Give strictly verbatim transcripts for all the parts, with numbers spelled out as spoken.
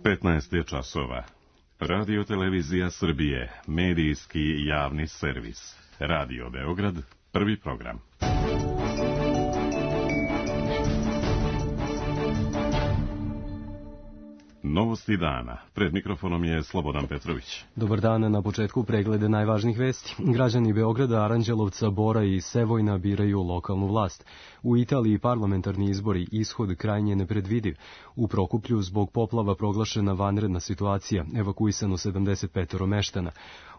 petnaest je časova. Radio Televizija Srbije, medijski javni servis. Radio Beograd, prvi program. Novosti dana. Pred mikrofonom je Slobodan Petrović. Dobar dan, na početku preglede najvažnijih vesti. Građani Beograda, Aranđelovca, Bora i Sevojna biraju lokalnu vlast. U Italiji parlamentarni izbori, ishod krajnje nepredvidiv. U Prokuplju zbog poplava proglašena vanredna situacija, evakuisano sedamdeset pet meštana.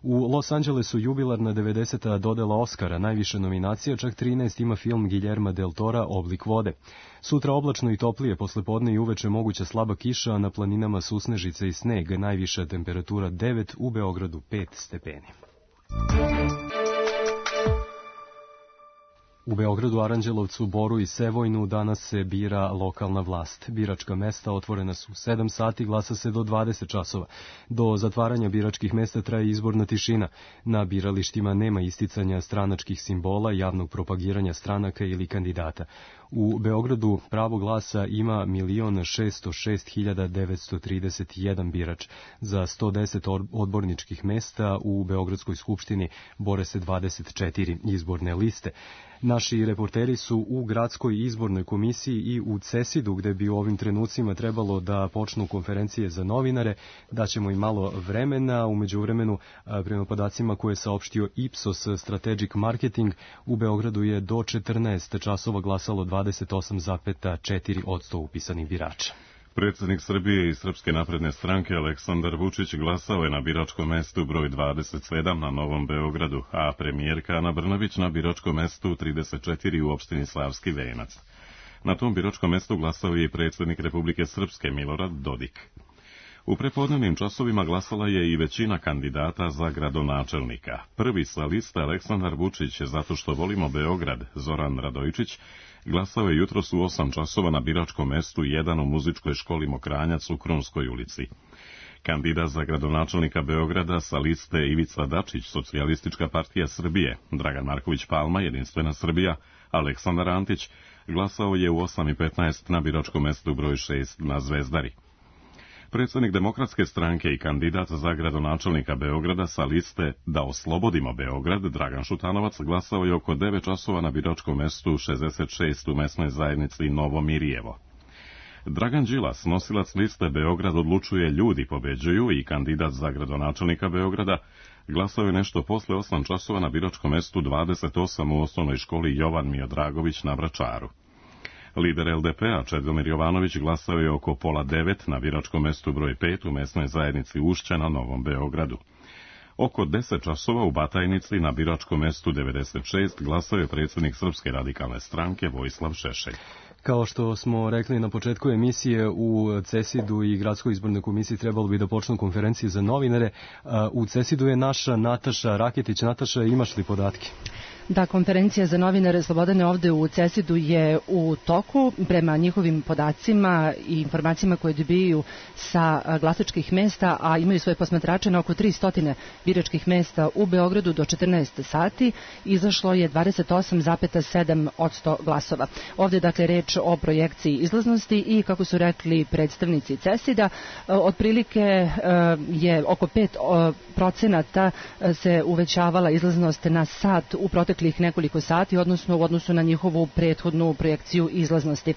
U Los Angelesu jubilarna devedeseta dodela Oskara, najviše nominacija, čak trinaest ima film Guillerma del Tora Oblik vode. Sutra oblačno i toplije, poslepodne i uveče moguća slaba kiša, a na planinama susnežice i sneg, najviša temperatura devet, u Beogradu pet stepeni. U Beogradu, Aranđelovcu, Boru i Sevojnu danas se bira lokalna vlast. Biračka mesta otvorena su u sedam sati, glasa se do dvadeset časova. Do zatvaranja biračkih mesta traje izborna tišina. Na biralištima nema isticanja stranačkih simbola, javnog propagiranja stranaka ili kandidata. U Beogradu pravo glasa ima milion šesto šest hiljada devetsto trideset jedan birač. Za sto deset odborničkih mesta u Beogradskoj skupštini bore se dvadeset četiri izborne liste. Naši reporteri su u Gradskoj izbornoj komisiji i u Cesidu, gde bi u ovim trenucima trebalo da počnu konferencije za novinare. Daćemo im malo vremena. U međuvremenu, prema podacima koje je saopštio Ipsos Strategic Marketing, u Beogradu je do četrnaest časova glasalo dvadeset osam zarez četiri posto upisanih birača. Predsjednik Srbije i Srpske napredne stranke Aleksandar Vučić glasao je na biračkom mestu broj dvadeset sedam na Novom Beogradu, a premijerka Ana Brnabić na biračkom mestu trideset četiri u opštini Slavski Venac. Na tom biračkom mestu glasao je i predsjednik Republike Srpske Milorad Dodik. U prepodnevnim časovima glasala je i većina kandidata za gradonačelnika. Prvi sa liste Aleksandar Vučić, zato što volimo Beograd, Zoran Radojičić, glasao je jutros u osam časova na biračkom mestu jedan u muzičkoj školi Mokranjac u Krunskoj ulici. Kandidat za gradonačelnika Beograda sa liste Ivica Dačić, Socijalistička partija Srbije, Dragan Marković Palma, Jedinstvena Srbija, Aleksandar Antić, glasao je u osam i petnaest na biračkom mestu broj šest na Zvezdari. Predsjednik Demokratske stranke i kandidat za gradonačelnika Beograda sa liste Da oslobodimo Beograd, Dragan Šutanovac, glasao je oko devet časova na biračkom mestu šezdeset šest u mesnoj zajednici Novo Mirjevo. Dragan Đilas, nosilac liste Beograd odlučuje, ljudi pobeđuju i kandidat za gradonačelnika Beograda, glasao je nešto posle osam časova na biračkom mestu dvadeset osam u osnovnoj školi Jovan Miodragović na Vračaru. Lider el de pe a Čedomir Jovanović glasao je oko pola devet na biračkom mestu broj pet u mesnoj zajednici Ušća na Novom Beogradu. Oko deset časova u Batajnici na biračkom mestu devedeset šest glasao je predsjednik Srpske radikalne stranke Vojislav Šešelj. Kao što smo rekli na početku emisije, u Cesidu i Gradskoj izbornoj komisiji trebalo bi da počnu konferencije za novinare. U Cesidu je naša Nataša Raketić. Nataša, imaš li podatke? Da, konferencija za novinare Slobodane ovde u Cesidu je u toku. Prema njihovim podacima i informacijama koje dobijaju sa glasačkih mesta, a imaju svoje posmatrače na oko tristo biračkih mesta u Beogradu do četrnaest sati, izašlo je dvadeset osam zarez sedam posto glasova. Ovde je dakle reč o projekciji izlaznosti i, kako su rekli predstavnici Cesida, otprilike je oko pet procenata se uvećavala izlaznost na sat u proteklih nekoliko sati, odnosno u odnosu na njihovu prethodnu projekciju izlaznosti.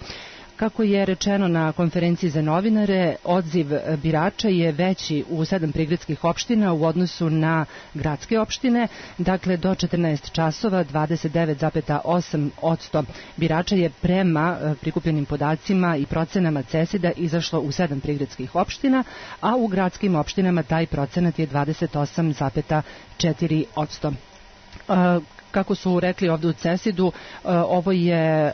Kako je rečeno na konferenciji za novinare, odziv birača je veći u sedam prigradskih opština u odnosu na gradske opštine. Dakle, do četrnaest časova dvadeset devet zarez osam posto birača je prema prikupljenim podacima i procenama Cesida izašlo u sedam prigradskih opština, a u gradskim opštinama taj procenat je dvadeset osam zarez četiri posto. Kako su rekli ovde u Cesidu, ovo je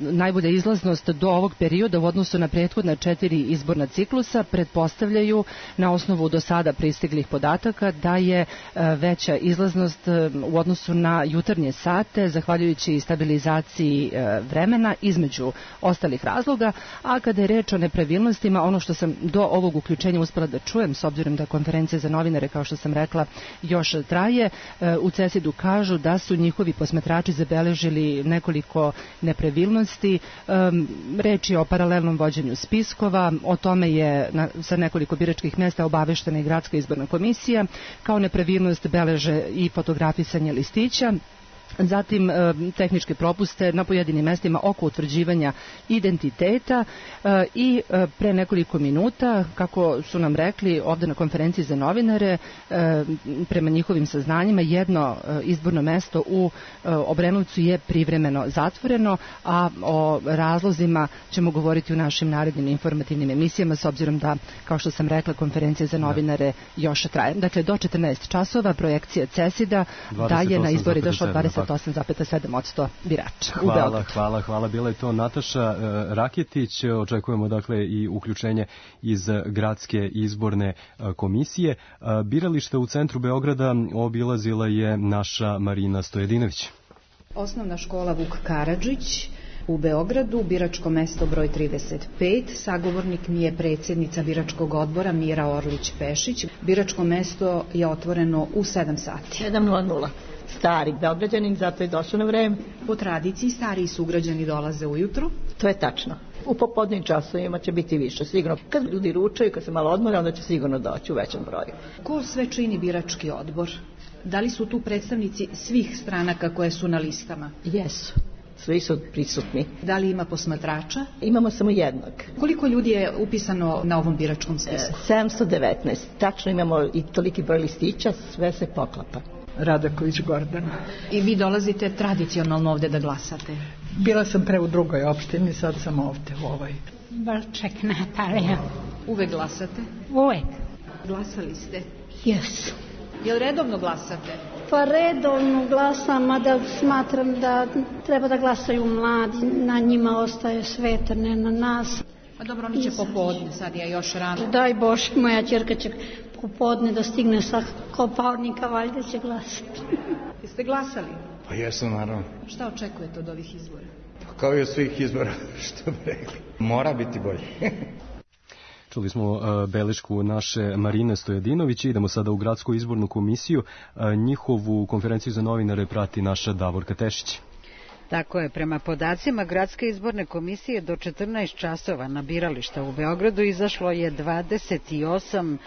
najbolja izlaznost do ovog perioda u odnosu na prethodna četiri izborna ciklusa. Pretpostavljaju na osnovu do sada pristiglih podataka da je veća izlaznost u odnosu na jutarnje sate, zahvaljujući stabilizaciji vremena između ostalih razloga. A kada je reč o nepravilnostima, ono što sam do ovog uključenja uspela da čujem, s obzirom da konferencija za novinare, kao što sam rekla, još traje, u Cesidu kažu da su njihovi posmatrači zabeležili nekoliko nepravilnosti. Reč je o paralelnom vođenju spiskova, o tome je na, sa nekoliko biračkih mesta obaveštena i Gradska izborna komisija. Kao nepravilnost beleže i fotografisanje listića. Zatim tehničke propuste na pojedinim mestima oko utvrđivanja identiteta i pre nekoliko minuta, kako su nam rekli ovde na konferenciji za novinare, prema njihovim saznanjima jedno izborno mesto u Obrenovcu je privremeno zatvoreno, a o razlozima ćemo govoriti u našim narednim informativnim emisijama, s obzirom da, kao što sam rekla, konferencija za novinare još traje. Dakle, do četrnaest časova projekcija CESID-a da je na izbori došlo dvadeset osam zarez sedam posto birača u Beogradu. Hvala, hvala, hvala. Bila je to Nataša Raketić. Očekujemo dakle i uključenje iz Gradske izborne komisije. Biralište u centru Beograda obilazila je naša Marina Stojedinović. Osnovna škola Vuk Karadžić u Beogradu, biračko mesto broj trideset pet, sagovornik mi je predsjednica biračkog odbora Mira Orlić-Pešić. Biračko mesto je otvoreno u sedam sati. sedam nula nula. Stari Beograđanin, zato je došao na vreme. Po tradiciji stariji sugrađani dolaze ujutro. To je tačno. U popodnim časovima će biti više, sigurno. Kad ljudi ručaju, kad se malo odmore, onda će sigurno doći u većem broju. Ko sve čini birački odbor? Da li su tu predstavnici svih stranaka koje su na listama? Jesu. Svi su prisutni. Da li ima posmatrača? Imamo samo jednog. Koliko ljudi je upisano na ovom biračkom spisku? sedamsto devetnaest. Tačno imamo i toliki broj listića, sve se poklapa. Radaković Gordana. I vi dolazite tradicionalno ovde da glasate? Bila sam pre u drugoj opštini, sad sam ovde u ovoj. Balček Natalija. Uvek glasate? Uvek. Glasali ste? Jesu. Jel redovno glasate? Pa redovno glasam, mada smatram da treba da glasaju mladi, na njima ostaje sveto, ne na nas. Pa dobro, oni će popodne, sad je još rano. Daj Bože, moja ćerka će popodne da stigne sa Kopaonika, valjda će glasati. Jeste glasali? Pa jesam, naravno. Šta očekujete od ovih izbora? Pa kao i od svih izbora, što bi rekli. Mora biti bolje. Čuli smo uh, belešku naše Marine Stojedinović. Idemo sada u Gradsku izbornu komisiju. Uh, njihovu konferenciju za novinare prati naša Davorka Tešić. Tako je, prema podacima Gradske izborne komisije do četrnaest časova na birališta u Beogradu izašlo je dvadeset osam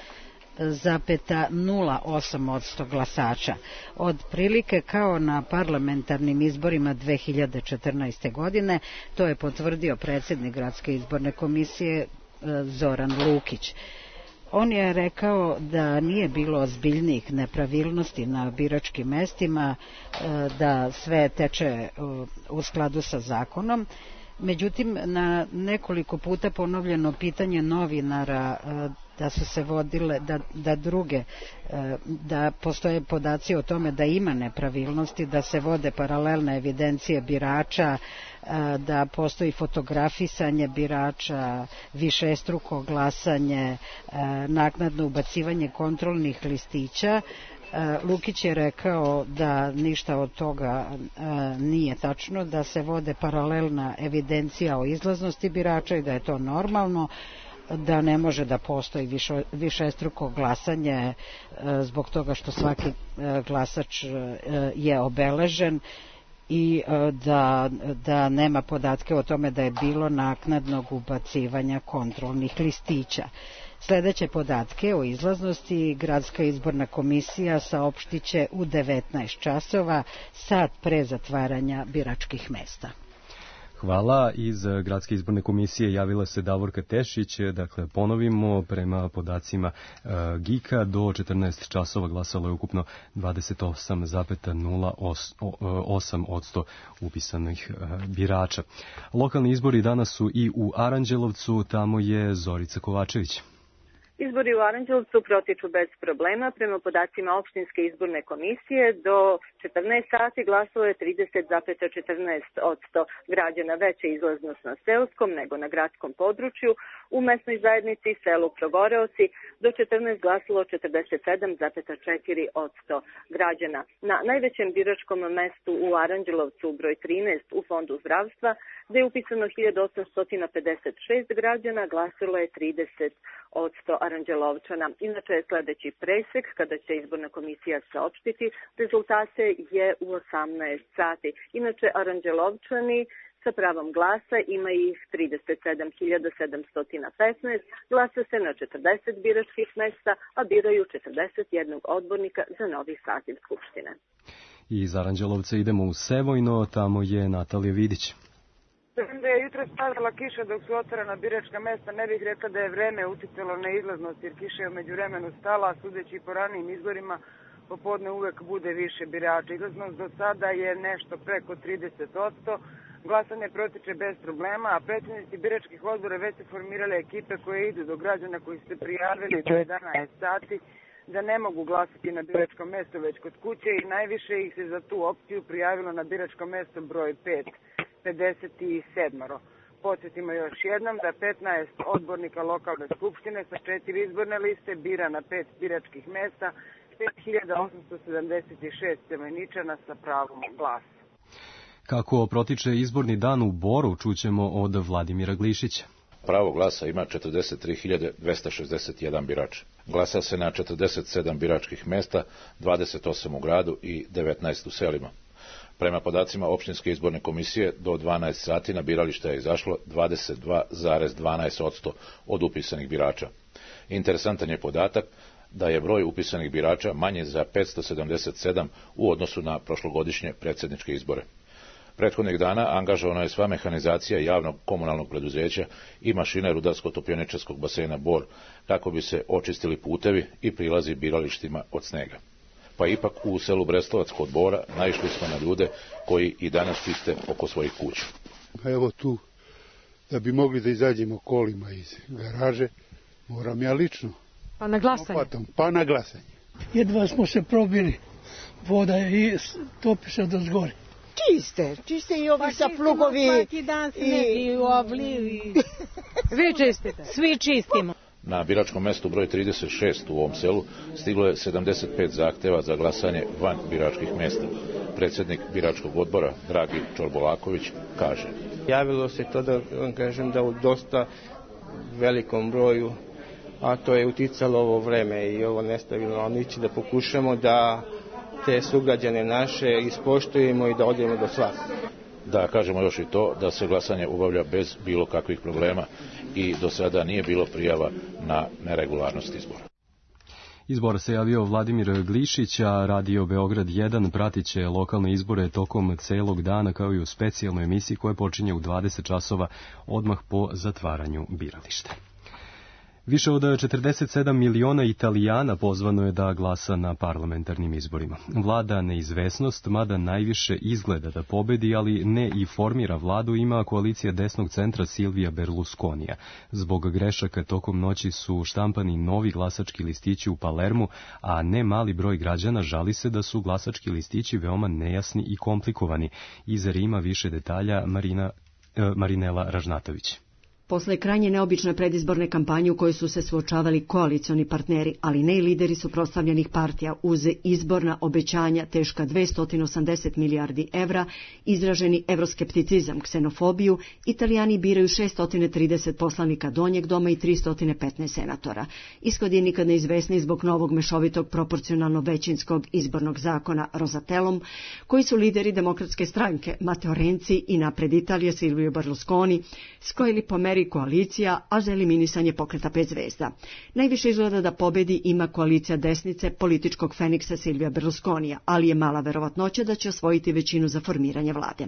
zarez nula osam posto glasača. Od prilike kao na parlamentarnim izborima dve hiljade četrnaeste. godine, to je potvrdio predsjednik Gradske izborne komisije Zoran Lukić. On je rekao da nije bilo ozbiljnijih nepravilnosti na biračkim mestima, da sve teče u skladu sa zakonom. Međutim, na nekoliko puta ponovljeno pitanje novinara da su se vodile, da, da druge, da postoje podaci o tome da ima nepravilnosti, da se vode paralelne evidencije birača, da postoji fotografisanje birača, višestruko glasanje, naknadno ubacivanje kontrolnih listića. Lukić je rekao da ništa od toga nije tačno, da se vode paralelna evidencija o izlaznosti birača i da je to normalno, da ne može da postoji više, višestruko glasanje zbog toga što svaki glasač je obeležen i da, da nema podatke o tome da je bilo naknadnog ubacivanja kontrolnih listića. Sljedeće podatke o izlaznosti Gradska izborna komisija saopštiće u devetnaest časova, sat pre zatvaranja biračkih mesta. Hvala. Iz Gradske izborne komisije javila se Davorka Tešić. Dakle, ponovimo, prema podacima uh, G I K-a do četrnaest časova glasalo je ukupno dvadeset osam zarez nula osam posto upisanih uh, birača. Lokalni izbori danas su i u Aranđelovcu, tamo je Zorica Kovačević. Izbori u Aranđelovcu protiču bez problema. Prema podacima opštinske izborne komisije do četrnaest sati glasalo je trideset zarez četrnaest posto građana. Veća izlaznost na seoskom nego na gradskom području. U mesnoj zajednici selu Progoreoci do četrnaest glasalo četrdeset sedam zarez četiri posto građana. Na najvećem biračkom mestu u Aranđelovcu broj trinaest u Fondu zdravstva, gde je upisano hiljadu osamsto pedeset šest građana, glasilo je trideset posto Aranđelovčana. Inače, sledeći presek, kada će izborna komisija saopštiti rezultate, je u osamnaest sati. Inače, Aranđelovčani sa pravom glasa ima ih trideset sedam hiljada sedamsto petnaest, glasa se na četrdeset biračkih mesta, a biraju četrdeset jednog odbornika za novi saziv Skupštine. Iz Aranđelovca idemo u Sevojno, tamo je Natalija Vidić. Da je jutro padala kiša dok su otvorena biračka mesta, ne bih rekla da je vreme uticalo na izlaznost, jer kiša je umeđu vremenu stala, sudeći po ranijim izborima, popodne uvek bude više birača. Izlaznost do sada je nešto preko trideset posto, glasanje protiče bez problema, a predsjednici biračkih odbora već su formirale ekipe koje idu do građana koji su se prijavili do jedanaest sati, da ne mogu glasati na biračkom mestu već kod kuće, i najviše ih se za tu opciju prijavilo na biračko mesto broj pet, pedeset sedam. Podsjetimo još jednom da petnaest odbornika lokalne skupštine sa četiri izborne liste bira na pet biračkih mesta pet hiljada osamsto sedamdeset šest Sevojničana sa pravom glasa. Kako protiče izborni dan u Boru, čućemo od Vladimira Glišića. Pravo glasa ima četrdeset tri hiljade dvesta šezdeset jedan birač. Glasa se na četrdeset sedam biračkih mesta, dvadeset osam u gradu i devetnaest u selima. Prema podacima opštinske izborne komisije, do dvanaest sati na biralište je izašlo dvadeset dva zarez dvanaest posto od upisanih birača. Interesantan je podatak da je broj upisanih birača manji za petsto sedamdeset sedam u odnosu na prošlogodišnje predsjedničke izbore. Prethodnih dana angažovana je sva mehanizacija javnog komunalnog preduzeća i mašine rudarsko-topioničarskog basena Bor kako bi se očistili putevi i prilazi biralištima od snega. Pa ipak u selu Brestovac kod Bora naišli smo na ljude koji i danas čiste oko svojih kuća. Pa evo tu, da bi mogli da izađemo kolima iz garaže, moram ja lično. Pa na glasanje? Opatam, pa na glasanje. Jedva smo se probili, voda je i topi se do zgore. Čiste, čiste i ovi pa sa plugovi. Svaki dan sneg i oblivi. Vi čistite? Svi čistimo. Na biračkom mestu broj trideset šest u ovom selu stiglo je sedamdeset pet zahteva za glasanje van biračkih mesta. Predsjednik biračkog odbora, Dragi Čorbolaković, kaže: Javilo se to da vam kažem da u dosta velikom broju, a to je uticalo ovo vreme i ovo nestabilno nići, da pokušamo da te sugrađane naše ispoštujemo i da odemo do svakog. Da kažemo još i to da se glasanje obavlja bez bilo kakvih problema i do sada nije bilo prijava na neregularnost izbora. Izbora se javio Vladimir Glišić, a Radio Beograd jedan pratit će lokalne izbore tokom celog dana kao i u specijalnoj emisiji koja počinje u dvadeset časova odmah po zatvaranju birališta. Više od četrdeset sedam miliona Italijana pozvano je da glasa na parlamentarnim izborima. Vlada neizvesnost, mada najviše izgleda da pobedi, ali ne i formira vladu, ima koalicija desnog centra Silvija Berlusconija. Zbog grešaka tokom noći su štampani novi glasački listići u Palermu, a ne mali broj građana žali se da su glasački listići veoma nejasni i komplikovani. Iz Rima više detalja Marina, eh, Marinela Ražnatović. Posle krajnje neobične predizborne kampanje u kojoj su se suočavali koalicioni partneri, ali ne i lideri suprotstavljenih partija, uz izborna obećanja teška dvesta osamdeset milijardi evra, izraženi evroskepticizam, ksenofobiju, Italijani biraju šesto trideset poslanika donjeg doma i tristo petnaest senatora. Ishod je nikad neizvesni zbog novog mešovitog proporcionalno većinskog izbornog zakona Rosatellom, koji su lideri demokratske stranke Matteo Renzi i napred Italije Silvio Berlusconi skrojili po meri koalicija, a za eliminisanje pokreta pet zvezda. Najviše izgleda da pobedi ima koalicija desnice političkog Feniksa Silvija Berlusconija, ali je mala verovatnoća da će osvojiti većinu za formiranje vlade.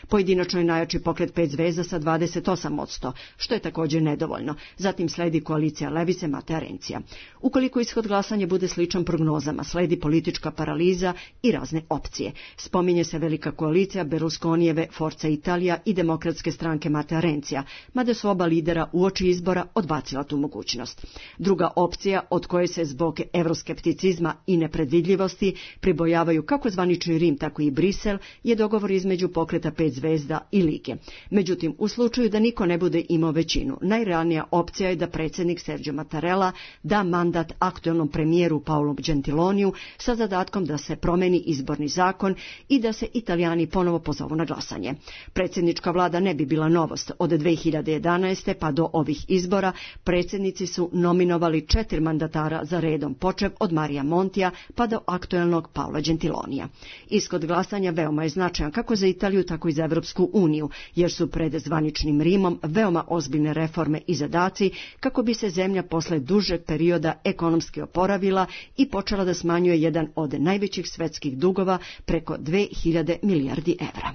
Pojedinačno je najjači pokret pet zvezda sa dvadeset osam posto, što je također nedovoljno. Zatim sledi koalicija Levice Matea Renzija. Ukoliko ishod glasanja bude sličan prognozama, sledi politička paraliza i razne opcije. Spominje se velika koalicija Berlusconijeve Forza Italia i demokratske stranke Matea Renzija, mada su oba lidera uoči izbora odbacila tu mogućnost. Druga opcija, od koje se zbog evroskepticizma i nepredvidljivosti pribojavaju kako zvanični Rim, tako i Brisel, je dogovor između pokreta pet zvezda i Lige. Međutim, u slučaju da niko ne bude imao većinu, najrealnija opcija je da predsjednik Sergio Mattarella da mandat aktuelnom premijeru Paolo Gentiloniju sa zadatkom da se promeni izborni zakon i da se Italijani ponovo pozovu na glasanje. Predsjednička vlada ne bi bila novost. Od dve hiljade jedanaeste. četrnaeste pa do ovih izbora predsjednici su nominovali četiri mandatara za redom, počev od Marija Montija pa do aktuelnog Paola Gentilonija. Ishod glasanja veoma je značajan kako za Italiju, tako i za Evropsku uniju, jer su pred zvaničnim Rimom veoma ozbiljne reforme i zadaci kako bi se zemlja posle dužeg perioda ekonomski oporavila i počela da smanjuje jedan od najvećih svetskih dugova preko dve hiljade milijardi evra.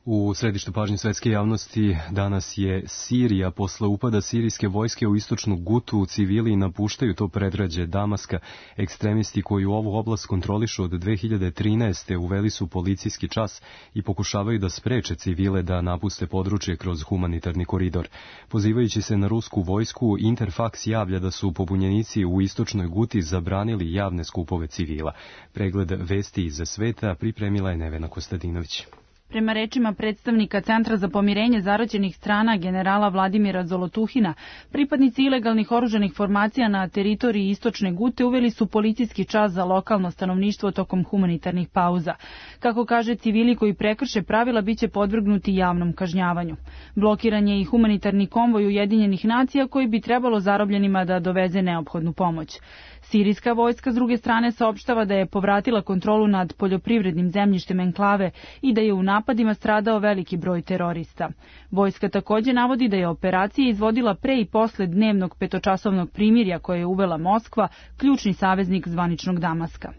U središtu pažnje svetske javnosti danas je Sirija. Posle upada sirijske vojske u istočnu Gutu, civili napuštaju to predgrađe Damaska. Ekstremisti koji ovu oblast kontrolišu od dve hiljade trinaeste. uveli su policijski čas i pokušavaju da spreče civile da napuste područje kroz humanitarni koridor. Pozivajući se na rusku vojsku, Interfax javlja da su pobunjenici u istočnoj Guti zabranili javne skupove civila. Pregled vesti iz sveta pripremila je Nevena Kostadinović. Prema rečima predstavnika Centra za pomirenje zaraćenih strana generala Vladimira Zolotuhina, pripadnici ilegalnih oružanih formacija na teritoriji istočne Gute uveli su policijski čas za lokalno stanovništvo tokom humanitarnih pauza. Kako kaže, civili koji prekrše pravila biće podvrgnuti javnom kažnjavanju. Blokiran je i humanitarni konvoj Ujedinjenih nacija koji bi trebalo zarobljenima da doveze neophodnu pomoć. Sirijska vojska s druge strane saopštava da je povratila kontrolu nad poljoprivrednim zemljištem enklave i da je u napadima stradao veliki broj terorista. Vojska također navodi da je operacija izvodila pre i posle dnevnog petočasovnog primirja koje je uvela Moskva, ključni saveznik zvaničnog Damaska.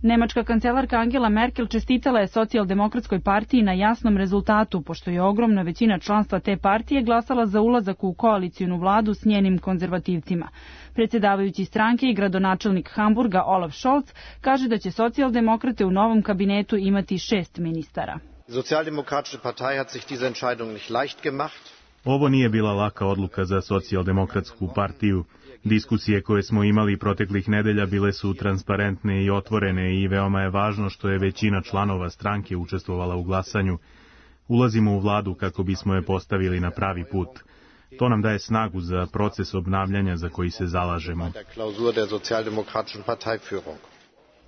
Nemačka kancelarka Angela Merkel čestitala je socijaldemokratskoj partiji na jasnom rezultatu, pošto je ogromna većina članstva te partije glasala za ulazak u koalicijnu vladu s njenim konzervativcima. Predsjedavajući stranke i gradonačelnik Hamburga Olaf Scholz kaže da će socijaldemokrate u novom kabinetu imati šest ministara. Socijaldemokratische Partei hat sich diese Entscheidung nicht leicht gemacht. Ovo nije bila laka odluka za socijaldemokratsku partiju. Diskusije koje smo imali proteklih nedelja bile su transparentne i otvorene i veoma je važno što je većina članova stranke učestvovala u glasanju. Ulazimo u vladu kako bismo je postavili na pravi put. To nam daje snagu za proces obnavljanja za koji se zalažemo.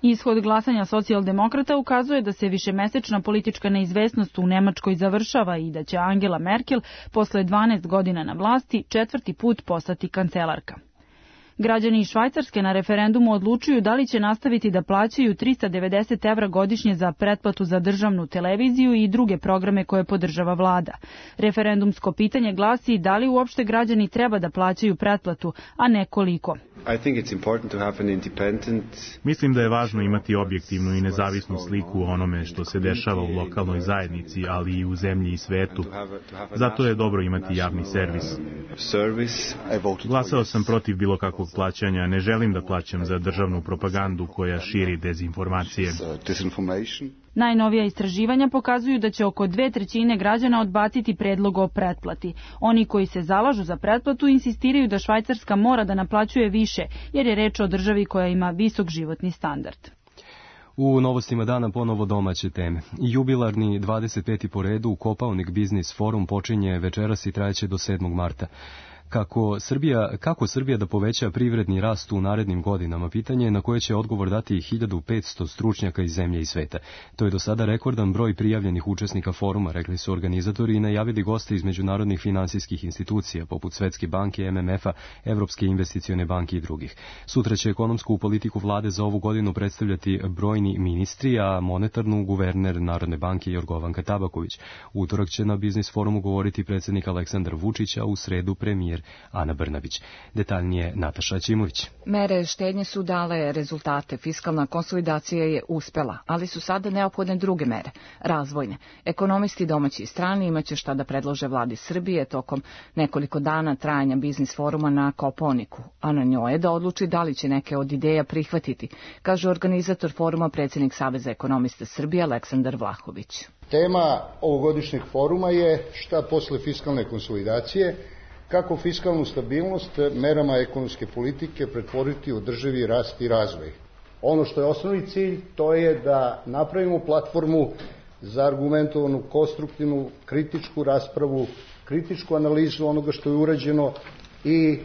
Ishod glasanja socijaldemokrata ukazuje da se višemesečna politička neizvesnost u Nemačkoj završava i da će Angela Merkel posle dvanaest godina na vlasti četvrti put postati kancelarka. Građani iz Švajcarske na referendumu odlučuju da li će nastaviti da plaćaju trista devedeset evra godišnje za pretplatu za državnu televiziju i druge programe koje podržava vlada. Referendumsko pitanje glasi da li uopšte građani treba da plaćaju pretplatu, a ne koliko. I think it's important to have an independent... Mislim da je važno imati objektivnu i nezavisnu sliku o onome što se dešava u lokalnoj zajednici, ali i u zemlji i svetu. Zato je dobro imati javni servis. Glasao sam protiv bilo kakvog plaćanja. Ne želim da plaćam za državnu propagandu koja širi dezinformacije. Najnovija istraživanja pokazuju da će oko dve trećine građana odbaciti predlog o pretplati. Oni koji se zalažu za pretplatu insistiraju da Švajcarska mora da naplaćuje više, jer je reč o državi koja ima visok životni standard. U novostima dana ponovo domaće teme. Jubilarni dvadeset peti po redu Kopaonik Biznis Forum počinje večeras i trajeće do sedmog marta. Kako Srbija, kako Srbija da poveća privredni rast u narednim godinama, pitanje je na koje će odgovor dati hiljadu petsto stručnjaka iz zemlje i sveta. To je do sada rekordan broj prijavljenih učesnika foruma, rekli su organizatori i najavili goste iz međunarodnih finansijskih institucija, poput Svetske banke, M M F-a, Evropske investicione banke i drugih. Sutra će ekonomsku politiku vlade za ovu godinu predstavljati brojni ministri, a monetarnu guverner Narodne banke Jorgovanka Tabaković. Utorak će na Biznis forumu govoriti predsjednik Aleksandar Vučić, a u sredu premijer Ana Brnabić. Detaljnije Nataša Ćimović. Mere štednje su dale rezultate. Fiskalna konsolidacija je uspela, ali su sada neophodne druge mere, razvojne. Ekonomisti domaći i strani imaće šta da predlože vladi Srbije tokom nekoliko dana trajanja Biznis foruma na Kopaoniku, a na njoj je da odluči da li će neke od ideja prihvatiti, kaže organizator foruma predsjednik Saveza ekonomista Srbije Aleksandar Vlahović. Tema ovogodišnjeg foruma je šta posle fiskalne konsolidacije, kako fiskalnu stabilnost merama ekonomske politike pretvoriti u održivi rast i razvoj. Ono što je osnovni cilj, to je da napravimo platformu za argumentovanu, konstruktivnu, kritičku raspravu, kritičku analizu onoga što je urađeno i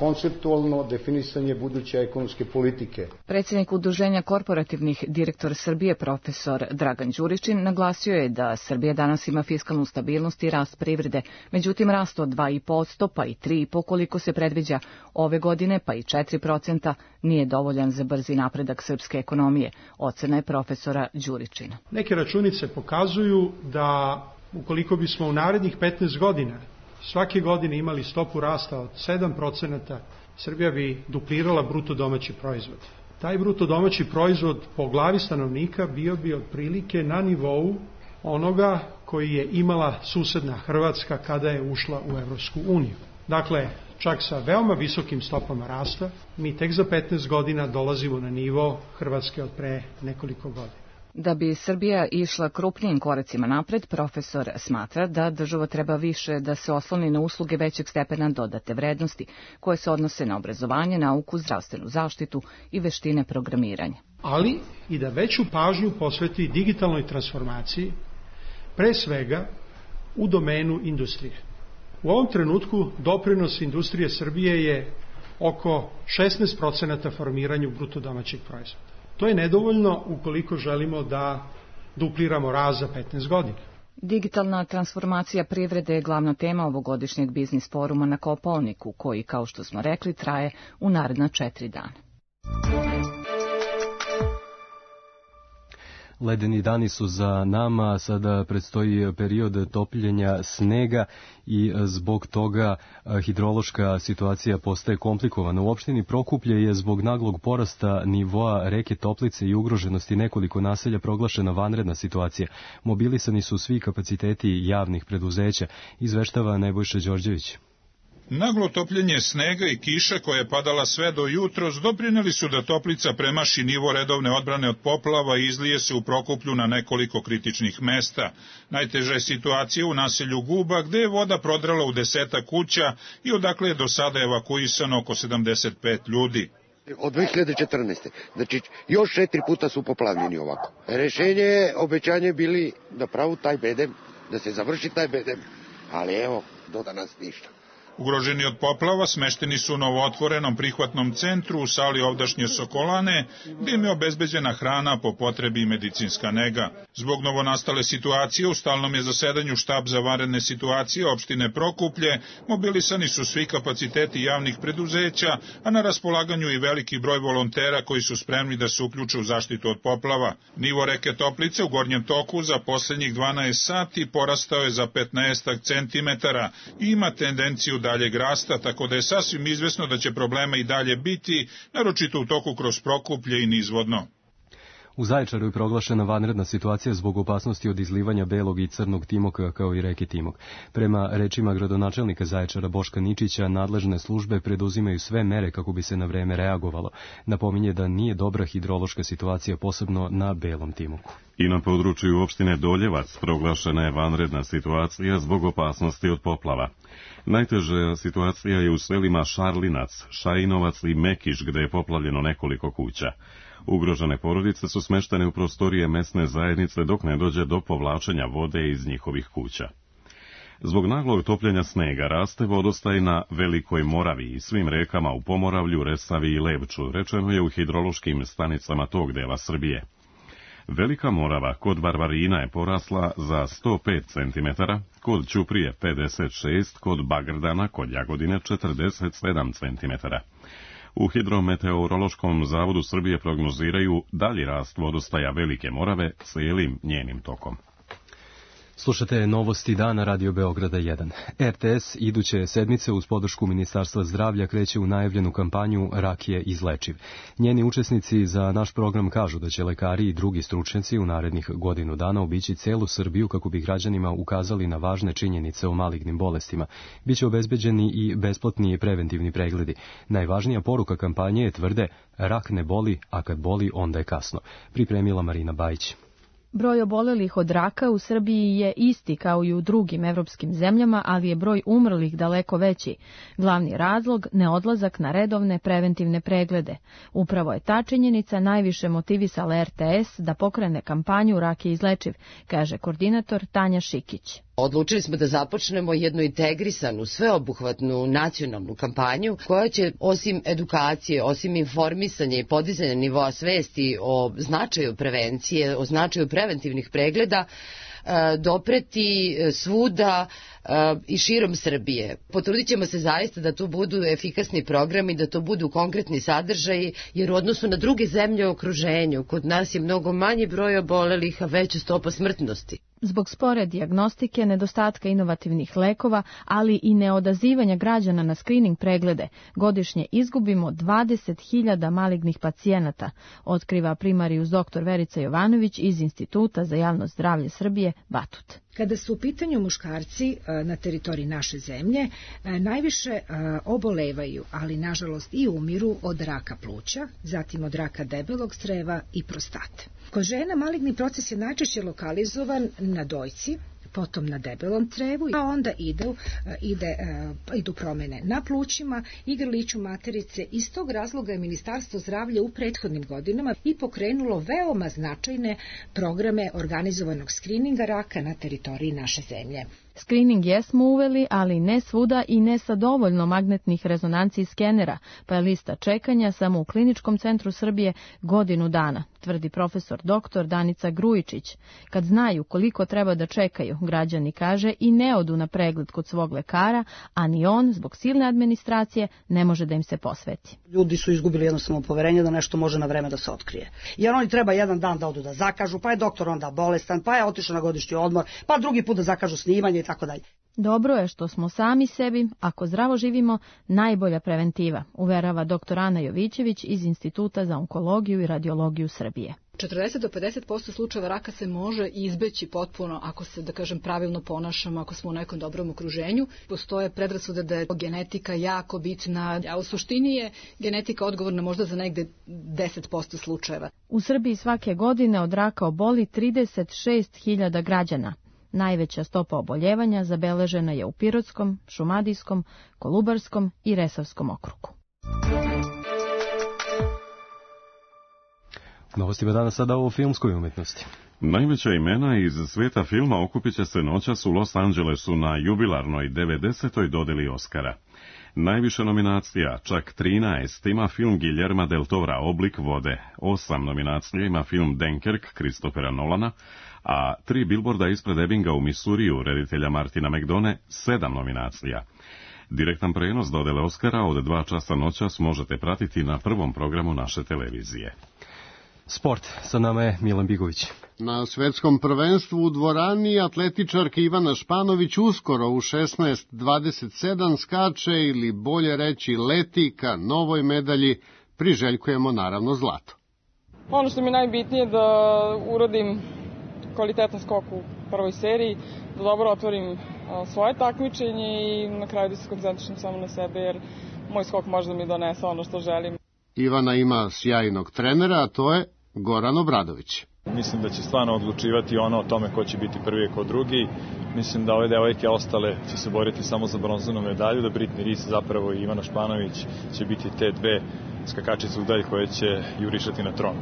konceptualno definisanje buduće ekonomske politike. Predsjednik Udruženja korporativnih direktora Srbije, profesor Dragan Đuričin, naglasio je da Srbija danas ima fiskalnu stabilnost i rast privrede, međutim rast od dva i po posto pa i tri i po koliko se predviđa ove godine, pa i četiri procenta nije dovoljan za brzi napredak srpske ekonomije, ocena je profesora Đuričina. Neke računice pokazuju da ukoliko bismo u narednih petnaest godina svake godine imali stopu rasta od sedam procenata, Srbija bi duplirala bruto domaći proizvod. Taj bruto domaći proizvod po glavi stanovnika bio bi otprilike na nivou onoga koji je imala susedna Hrvatska kada je ušla u Evropsku uniju. Dakle, čak sa veoma visokim stopama rasta, mi tek za petnaest godina dolazimo na nivo Hrvatske od pre nekoliko godina. Da bi Srbija išla krupnijim koracima napred, profesor smatra da država treba više da se osloni na usluge većeg stepena dodate vrednosti, koje se odnose na obrazovanje, nauku, zdravstvenu zaštitu i veštine programiranja. Ali i da veću pažnju posveti digitalnoj transformaciji, pre svega u domenu industrije. U ovom trenutku doprinos industrije Srbije je oko šesnaest procenata formiranju bruto domaćeg proizvoda. To je nedovoljno ukoliko želimo da dupliramo rast za petnaest godina. Digitalna transformacija privrede je glavna tema ovogodišnjeg biznis foruma na Kopaoniku, koji, kao što smo rekli, traje u naredna četiri dana. Ledeni dani su za nama, sada predstoji period topljenja snega i zbog toga hidrološka situacija postaje komplikovana. U opštini Prokuplje je zbog naglog porasta nivoa reke Toplice i ugroženosti nekoliko naselja proglašena vanredna situacija. Mobilisani su svi kapaciteti javnih preduzeća, izveštava Nebojša Đorđević. Naglo topljenje snega i kiša koja je padala sve do jutros doprineli su da Toplica premaši nivo redovne odbrane od poplava i izlije se u Prokuplju na nekoliko kritičnih mesta. Najteža je situacija u naselju Guba, gde je voda prodrala u deseta kuća i odakle je do sada evakuisano oko sedamdeset pet ljudi. Od dve hiljade četrnaeste. Znači, još četiri puta su poplavljeni ovako. Rešenje je, obećanje bili da pravu taj bedem, da se završi taj bedem, ali evo, do danas ništa. Ugroženi od poplava smešteni su u novootvorenom prihvatnom centru u sali ovdašnje Sokolane, gdje im je obezbeđena hrana, po potrebi i medicinska nega. Zbog novonastale situacije u stalnom je zasedanju štab za vanredne situacije opštine Prokuplje, mobilisani su svi kapaciteti javnih preduzeća, a na raspolaganju i veliki broj volontera koji su spremni da se uključe u zaštitu od poplava. Nivo reke Toplice u gornjem toku za posljednjih dvanaest sati porastao je za petnaest centimetara i ima tendenciju da daljeg rasta, tako da je sasvim izvesno da će problema i dalje biti, naročito u toku kroz Prokuplje i nizvodno. U Zaječaru je proglašena vanredna situacija zbog opasnosti od izlivanja belog i crnog timoka kao i reke Timok. Prema rečima gradonačelnika Zaječara Boška Ničića, nadležne službe preduzimaju sve mere kako bi se na vreme reagovalo. Napominje da nije dobra hidrološka situacija, posebno na belom Timoku. I na području opštine Doljevac proglašena je vanredna situacija zbog opasnosti od poplava. Najteža situacija je u selima Šarlinac, Šajinovac i Mekiš, gde je poplavljeno nekoliko kuća. Ugrožene porodice su smeštene u prostorije mesne zajednice dok ne dođe do povlačenja vode iz njihovih kuća. Zbog naglog topljenja snega raste vodostaj na Velikoj Moravi i svim rekama u Pomoravlju, Resavi i Levču, rečeno je u hidrološkim stanicama tog dela Srbije. Velika Morava kod Varvarina je porasla za sto pet centimetara, kod Ćuprije pedeset šest, kod Bagrdana kod Jagodine četrdeset sedam centimetara. U Hidrometeorološkom zavodu Srbije prognoziraju dalji rast vodostaja Velike Morave cijelim njenim tokom. Slušate novosti dana Radio Beograda jedan. R T S iduće sedmice uz podršku Ministarstva zdravlja kreće u najavljenu kampanju Rak je izlečiv. Njeni učesnici za naš program kažu da će lekari i drugi stručnjaci u narednih godinu dana obići celu Srbiju kako bi građanima ukazali na važne činjenice o malignim bolestima. Biće obezbeđeni i besplatni preventivni pregledi. Najvažnija poruka kampanje je, tvrde, rak ne boli, a kad boli onda je kasno. Pripremila Marina Bajić. Broj obolelih od raka u Srbiji je isti kao i u drugim evropskim zemljama, ali je broj umrlih daleko veći. Glavni razlog – neodlazak na redovne preventivne preglede. Upravo je ta činjenica najviše motivisala R T S da pokrene kampanju Rak je izlečiv, kaže koordinator Tanja Šikić. Odlučili smo da započnemo jednu integrisanu, sveobuhvatnu nacionalnu kampanju koja će osim edukacije, osim informisanja i podizanja nivoa svesti o značaju prevencije, o značaju preventivnih pregleda, dopreti svuda i širom Srbije. Potrudit ćemo se zaista da to budu efikasni programi, da to budu konkretni sadržaji, jer u odnosu na druge zemlje u okruženju, kod nas je mnogo manji broj obolelih, a veća stopa smrtnosti. Zbog spore dijagnostike, nedostatka inovativnih lekova, ali i neodazivanja građana na skrining preglede, godišnje izgubimo dvadeset hiljada malignih pacijenata, otkriva primarijus doktor Verica Jovanović iz Instituta za javno zdravlje Srbije Batut. Kada su u pitanju muškarci na teritoriji naše zemlje, najviše obolevaju, ali nažalost i umiru od raka pluća, zatim od raka debelog creva i prostate. Kod žena maligni proces je najčešće lokalizovan na dojci, potom na debelom crevu, a onda ide, ide, idu promene na plućima i grliću materice. Iz tog razloga je Ministarstvo zdravlja u prethodnim godinama i pokrenulo veoma značajne programe organizovanog skrininga raka na teritoriji naše zemlje. Skrining jesmo uveli, ali ne svuda i ne sa dovoljno magnetnih rezonanci i skenera, pa je lista čekanja samo u Kliničkom centru Srbije godinu dana, tvrdi profesor doktor Danica Grujičić. Kad znaju koliko treba da čekaju, građani, kaže, i ne odu na pregled kod svog lekara, a ni on, zbog silne administracije, ne može da im se posveti. Ljudi su izgubili jednostavno poverenje da nešto može na vreme da se otkrije. Jer oni treba jedan dan da odu da zakažu, pa je doktor onda bolestan, pa je otišao na godišnji odmor, pa drugi put da zakažu snimanje i tako dalje. Dobro je što smo sami sebi, ako zdravo živimo, najbolja preventiva, uverava doktor Ana Jovićević iz Instituta za onkologiju i radiologiju Srbije. četrdeset do pedeset posto slučajeva raka se može izbeći potpuno ako se, da kažem, pravilno ponašamo, ako smo u nekom dobrom okruženju. Postoje predrasude da je genetika jako bitna, a u suštini je genetika odgovorna možda za negde deset posto slučajeva. U Srbiji svake godine od raka oboli trideset šest hiljada građana. Najveća stopa oboljevanja zabeležena je u Pirotskom, Šumadijskom, Kolubarskom i Resavskom okrugu. Novostima danas sada o filmskoj umetnosti. Najveća imena iz sveta filma okupit će se noćas u Los Angelesu na jubilarnoj devedesetoj dodeli Oscara. Najviše nominacija, čak trinaest, ima film Guillerma del Tora Oblik vode, osam nominacija ima film Dunkirk Christophera Nolana, a tri bilborda ispred Ebbinga u Missouriju reditelja Martina McDone, sedam nominacija. Direktan prenos dodele Oscara od dva časa noćas možete pratiti na prvom programu naše televizije. Sport, sa nama je Milan Bigović. Na svetskom prvenstvu u dvorani atletičarka Ivana Španović uskoro u šesnaest dvadeset sedam skače, ili bolje reći leti ka novoj medalji, priželjkujemo naravno zlato. Ono što mi je najbitnije da uradim kvalitetan skok u prvoj seriji, da dobro otvorim svoje takmičenje i na kraju da se koncentrišem samo na sebe, jer moj skok može da mi donese ono što želim. Ivana ima sjajnog trenera, a to je Goran Obradović. Mislim da će stvarno odlučivati ono o tome ko će biti prvi i ko drugi. Mislim da ove devojke ostale će se boriti samo za bronzanu medalju, da Britney Rees zapravo i Ivana Španović će biti te dve skakačice u dalj koje će jurišati na tron.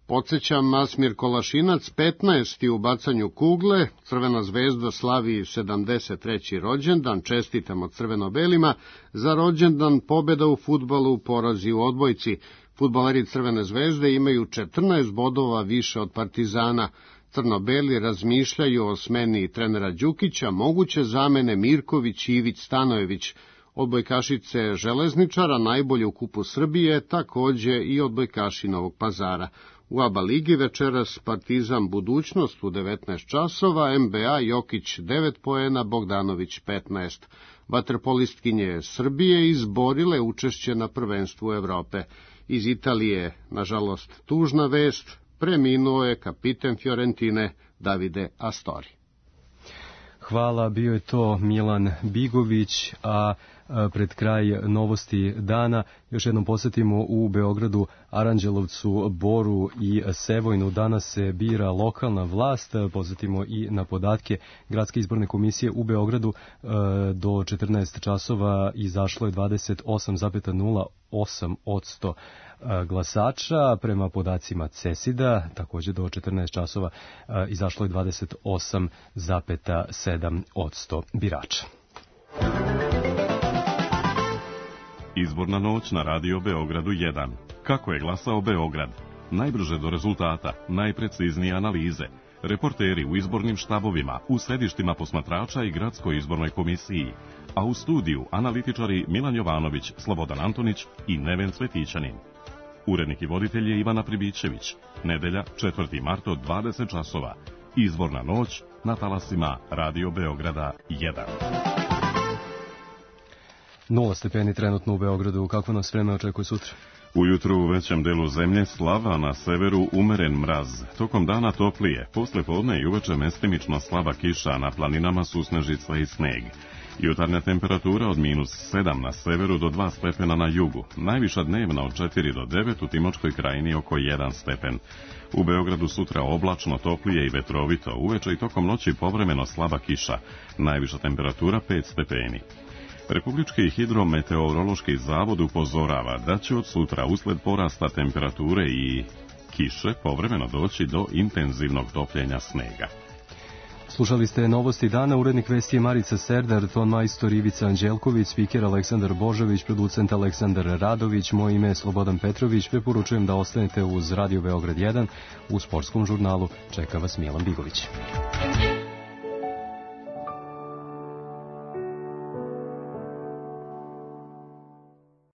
Podsećam, Masmir Kolašinac petnaesti u bacanju kugle, Crvena zvezda slavi sedamdeset treći rođendan, čestitamo crveno-belima, za rođendan pobjeda u fudbalu, porazi u odbojci. Fudbaleri Crvene zvezde imaju četrnaest bodova više od Partizana. Crno-beli razmišljaju o smeni trenera Đukića, moguće zamene Mirković, Ivić, Stanojević. Odbojkašice Železničara, najbolje u kupu Srbije, takođe i odbojkaši Novog Pazara. U A B A ligi večeras Partizan Budućnost u devetnaest časova, N B A Jokić devet poena, Bogdanović petnaest. Vaterpolistkinje Srbije izborile učešće na prvenstvu Evrope. Iz Italije, nažalost, tužna vest, preminuo je kapiten Fiorentine Davide Astori. Hvala, bio je to Milan Bigović, a pred kraj novosti dana još jednom posjetimo u Beogradu, Aranđelovcu, Boru i Sevojnu. Danas se bira lokalna vlast, posjetimo i na podatke Gradske izborne komisije u Beogradu. Do četrnaest časova izašlo je dvadeset osam zarez nula osam posto glasača. Prema podacima CESID-a, takođe do četrnaest časova, izašlo je dvadeset osam zarez sedam posto birača. Izborna noć na Radio Beogradu jedan. Kako je glasao Beograd? Najbrže do rezultata, najpreciznije analize. Reporteri u izbornim štabovima, u sedištima posmatrača i gradskoj izbornoj komisiji. A u studiju analitičari Milan Jovanović, Slobodan Antonić i Neven Cvetićanin. Urednik i voditelj je Ivana Pribićević. Nedelja, četvrti mart od dvadeset časova. Izborna noć na talasima Radio Beograda jedan. Nula stepeni trenutno u Beogradu. Kako nas vreme očekuje sutra? Ujutru u većem delu zemlje slava, na severu umeren mraz. Tokom dana toplije, posle podne i uveče mestimično slaba kiša, na planinama susnežica i sneg. Jutarnja temperatura od minus sedam na severu do dva stepena na jugu. Najviša dnevna od četiri do devet, u Timočkoj krajini oko jedan stepen. U Beogradu sutra oblačno, toplije i vetrovito, uveče i tokom noći povremeno slaba kiša. Najviša temperatura pet stepeni. Republički hidrometeorološki zavod upozorava da će od sutra usled porasta temperature i kiše povremeno doći do intenzivnog topljenja snega. Slušali ste novosti dana, urednik vesti je Marica Serdar, ton majstor Ivica Anđelković, spiker Aleksandar Božović, producent Aleksandar Radović, moje ime je Slobodan Petrović, preporučujem da ostanete uz Radio Beograd jedan, u sportskom žurnalu čeka vas Milan Bigović.